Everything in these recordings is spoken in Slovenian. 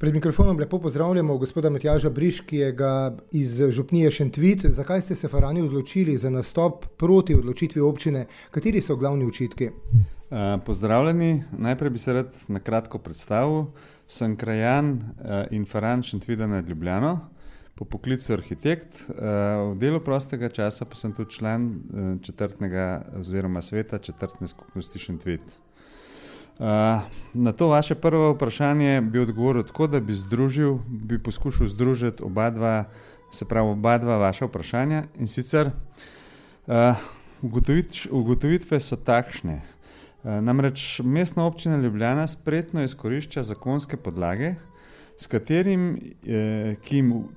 Pred mikrofonom lepo pozdravljamo gospoda Matjaža Briškijega iz župnije Šentvid. Zakaj ste se Farani odločili za nastop proti odločitvi občine? Kateri so glavni očitki? Pozdravljeni. Najprej bi se rad na kratko predstavil. Sem krajan in Faran Šentvida nad Ljubljano, po poklicu arhitekt. V delu prostega časa pa sem tudi član četrtnega oziroma sveta četrtne skupnosti Šentvid. Na to vaše prvo vprašanje bi odgovoril tako, da bi poskušal združiti oba dva vaša vprašanja, in sicer ugotovitve so takšne. Namreč Mestna občina Ljubljana spretno izkorišča zakonske podlage, s katerim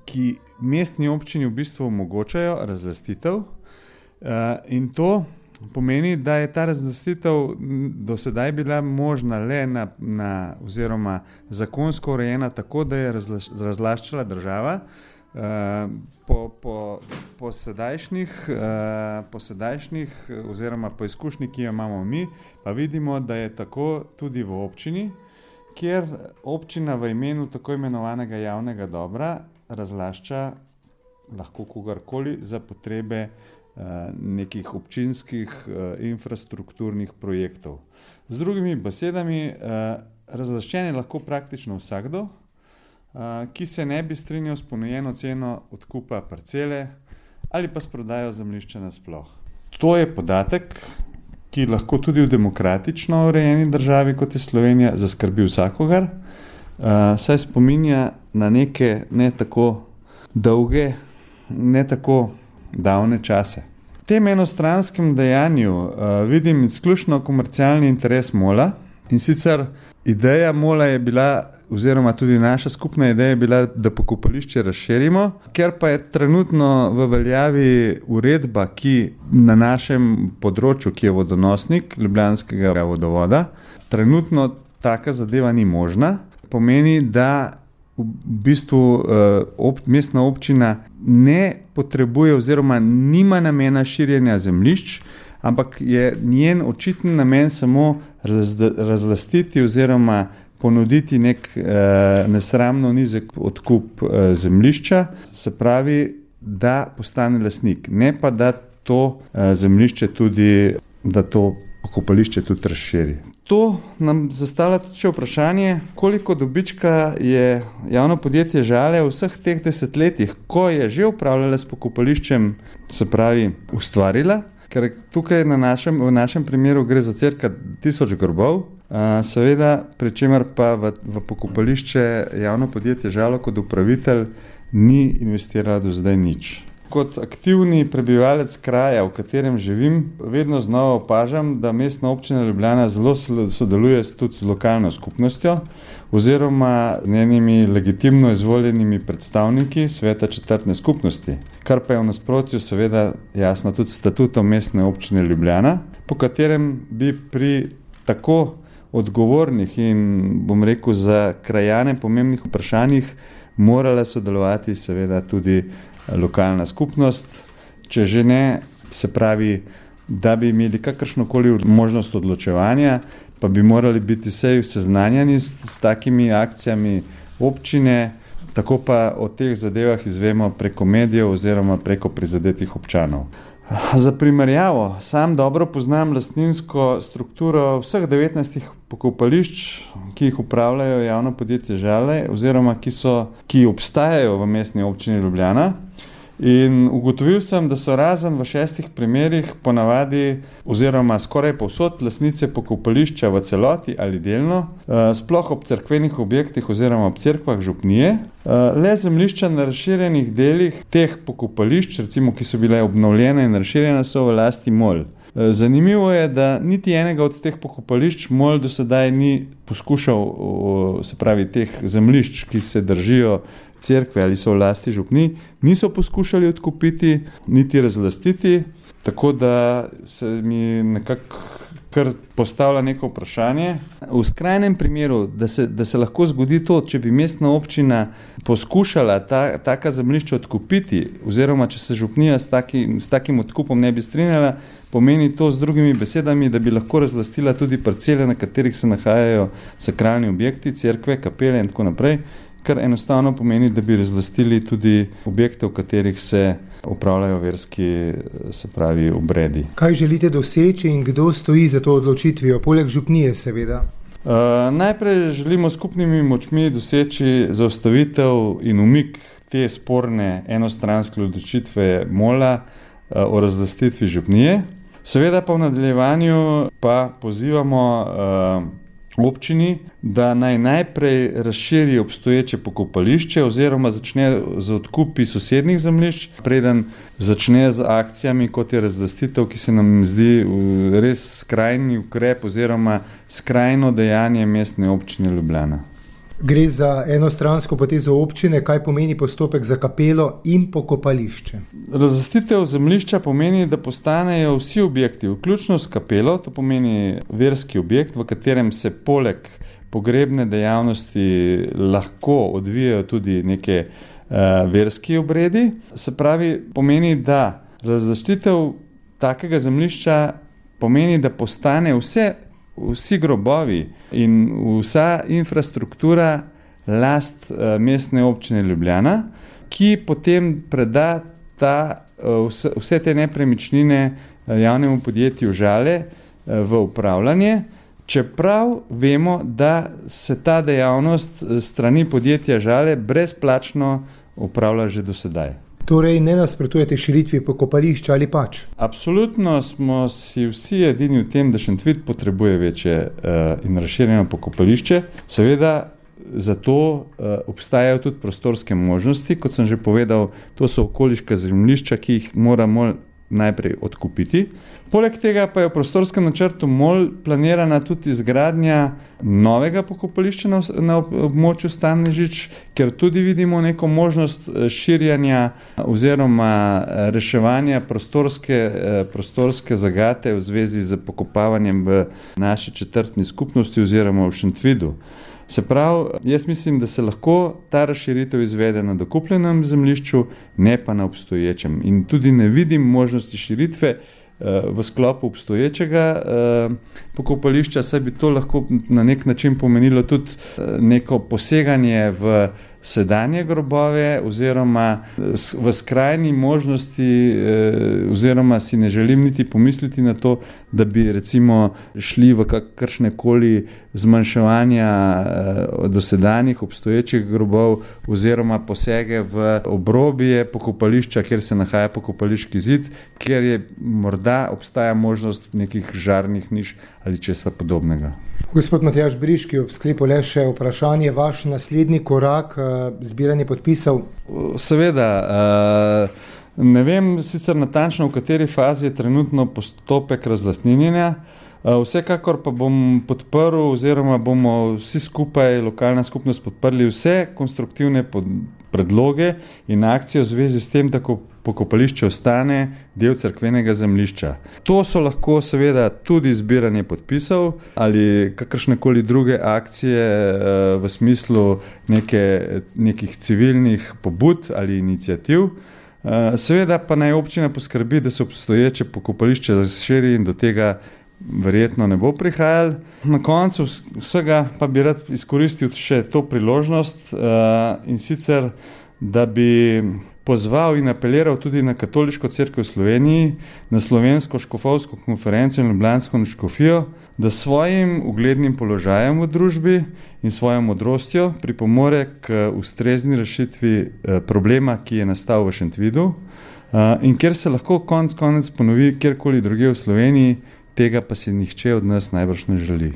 ki mestni občini v bistvu omogočajo razlastitev, in to pomeni, da je ta razlastitev do sedaj bila možna le oziroma zakonsko urejena tako, da je razlaščala država. Po sedajšnjih oziroma po izkušnji, ki jo imamo mi, pa vidimo, da je tako tudi v občini, kjer občina v imenu tako imenovanega javnega dobra razlašča lahko kogarkoli za potrebe nekih občinskih infrastrukturnih projektov. Z drugimi besedami, razlaščen je lahko praktično vsakdo, ki se ne bi strinjal s ponujeno ceno odkupa parcele ali pa s prodajo zemljišča nasploh. To je podatek, ki lahko tudi v demokratično urejeni državi, kot je Slovenija, zaskrbi vsakogar, saj spominja na neke ne tako dolge, ne tako davne čase. V tem enostranskem dejanju vidim izključno komercialni interes MOL-a, in sicer ideja MOL-a je bila, oziroma tudi naša skupna ideja je bila, da pokopališče razširimo, ker pa je trenutno v veljavi uredba, ki na našem področju, ki je vodonosnik Ljubljanskega vodovoda, trenutno taka zadeva ni možna. Pomeni, da v bistvu mestna občina ne potrebuje oziroma nima namena širjenja zemljišč, ampak je njen očitni namen samo razlastiti oziroma ponuditi nek nesramno nizek odkup zemljišča, se pravi, da postane lastnik, ne pa da to zemljišče tudi, da to pokopališče tudi razširi. To nam zastavlja tudi še vprašanje, koliko dobička je javno podjetje Žale v vseh teh desetletjih, ko je že upravljala s pokopališčem, se pravi, ustvarila, ker tukaj v našem primeru gre za cirka 1000 grobov, seveda, pri čemer pa v pokopališče javno podjetje Žalo kot upravitelj ni investirala do zdaj nič. Kot aktivni prebivalec kraja, v katerem živim, vedno znova opažam, da Mestna občina Ljubljana zelo sodeluje tudi z lokalno skupnostjo oziroma z njenimi legitimno izvoljenimi predstavniki sveta četrtne skupnosti, kar pa je v nasprotju seveda jasno tudi statutom Mestne občine Ljubljana, po katerem bi pri tako odgovornih in, bom rekel, za krajane pomembnih vprašanjih morala sodelovati seveda tudi lokalna skupnost, če že ne, se pravi, da bi imeli kakršnokoli možnost odločevanja, pa bi morali biti vsej seznanjeni s takimi akcijami občine, tako pa o teh zadevah izvemo preko medijev oziroma preko prizadetih občanov. Za primerjavo, sam dobro poznam lastninsko strukturo vseh 19 pokopališč, ki jih upravljajo javno podjetje Žale oziroma ki obstajajo v Mestni občini Ljubljana, in ugotovil sem, da so razen v 6 primerih ponavadi oziroma skoraj povsod lastnice pokopališča v celoti ali delno, sploh ob cerkvenih objektih oziroma ob cerkvah župnije, le zemljišča na razširjenih delih teh pokopališč, recimo, ki so bile obnovljene in razširjene, so v lasti MOL. Zanimivo je, da niti enega od teh pokopališč MOL do sedaj ni poskušal, se pravi teh zemljišč, ki se držijo cerkve ali so v lasti župnij, niso poskušali odkupiti, niti razlastiti, tako da se mi nekako kar postavlja neko vprašanje. V skrajnem primeru, da se lahko zgodi to, če bi mestna občina poskušala taka zemljišča odkupiti, oziroma če se župnija s takim odkupom ne bi strinjala, pomeni to z drugimi besedami, da bi lahko razlastila tudi parcele, na katerih se nahajajo sakralni objekti, cerkve, kapele in tako naprej, kar enostavno pomeni, da bi razlastili tudi objekte, v katerih se opravljajo verski, se pravi, obredi. Kaj želite doseči in kdo stoji za to odločitvijo, poleg župnije seveda? Najprej želimo skupnimi močmi doseči zaustavitev in umik te sporne enostranske odločitve MOL-a o razlastitvi župnije. Seveda pa v nadaljevanju pa pozivamo občini, da naj najprej razširi obstoječe pokopališče oziroma začne z odkupi sosednjih zemljišč, preden začne z akcijami, kot je razlastitev, ki se nam zdi res skrajni ukrep oziroma skrajno dejanje Mestne občine Ljubljana. Gre za enostransko potezo občine, kaj pomeni postopek za kapelo in pokopališče? Razlastitev zemljišča pomeni, da postanejo vsi objekti, vključno s kapelo, to pomeni verski objekt, v katerem se poleg pogrebne dejavnosti lahko odvijajo tudi neke verski obredi. Se pravi, pomeni, da razlastitev takega zemljišča pomeni, da postane vsi grobovi in vsa infrastruktura last Mestne občine Ljubljana, ki potem preda vse te nepremičnine javnemu podjetju Žale v upravljanje, čeprav vemo, da se ta dejavnost strani podjetja Žale brezplačno upravlja že do sedaj. Torej ne nasprotujete širitvi pokopališča ali pač? Absolutno smo si vsi edini v tem, da Šentvid potrebuje večje in razširjeno pokopališče. Seveda zato obstajajo tudi prostorske možnosti, kot sem že povedal, to so okoliška zemljišča, ki jih moramo najprej odkupiti. Poleg tega pa je v prostorskem načrtu MOL planirana tudi izgradnja novega pokopališča na območju Stanežič, ker tudi vidimo neko možnost širjanja oziroma reševanja prostorske zagate v zvezi z pokopavanjem v naši četrtni skupnosti oziroma v Šentvidu. Se pravi, jaz mislim, da se lahko ta razširitev izvede na dokupljenem zemljišču, ne pa na obstoječem. In tudi ne vidim možnosti širitve v sklopu obstoječega pokopališča, saj bi to lahko na nek način pomenilo tudi neko poseganje v sedanje grobove oziroma v skrajni možnosti oziroma si ne želim niti pomisliti na to, da bi recimo šli v kakršnekoli zmanjševanja dosedanjih obstoječih grobov oziroma posege v obrobje pokopališča, kjer se nahaja pokopališki zid, kjer je morda obstaja možnost nekih žarnih niš ali česa podobnega. Gospod Matjaž Briški, ob sklepu le še vprašanje, vaš naslednji korak, zbiranje podpisov? Seveda, ne vem sicer natančno, v kateri fazi je trenutno postopek razlastninjenja, vsekakor pa bom podprl oziroma bomo vsi skupaj, lokalna skupnost, podprli vse konstruktivne predloge in akcije v zvezi s tem, da pokopališče ostane del cerkvenega zemljišča. To so lahko seveda tudi zbiranje podpisov ali kakršnekoli druge akcije v smislu nekih civilnih pobud ali iniciativ. Seveda pa naj občina poskrbi, da se obstoječe pokopališče razširi in do tega verjetno ne bo prihajalo. Na koncu vsega pa bi rad izkoristil še to priložnost in sicer, da bi pozval in apeliral tudi na Katoliško cerkev v Sloveniji, na Slovensko škofovsko konferenco in Ljubljansko škofijo, da svojim uglednim položajem v družbi in svojo modrostjo pripomore k ustrezni rešitvi problema, ki je nastal v Šentvidu in kjer se lahko konec ponovi kjerkoli drugje v Sloveniji, tega pa si nihče od nas najbrž ne želi.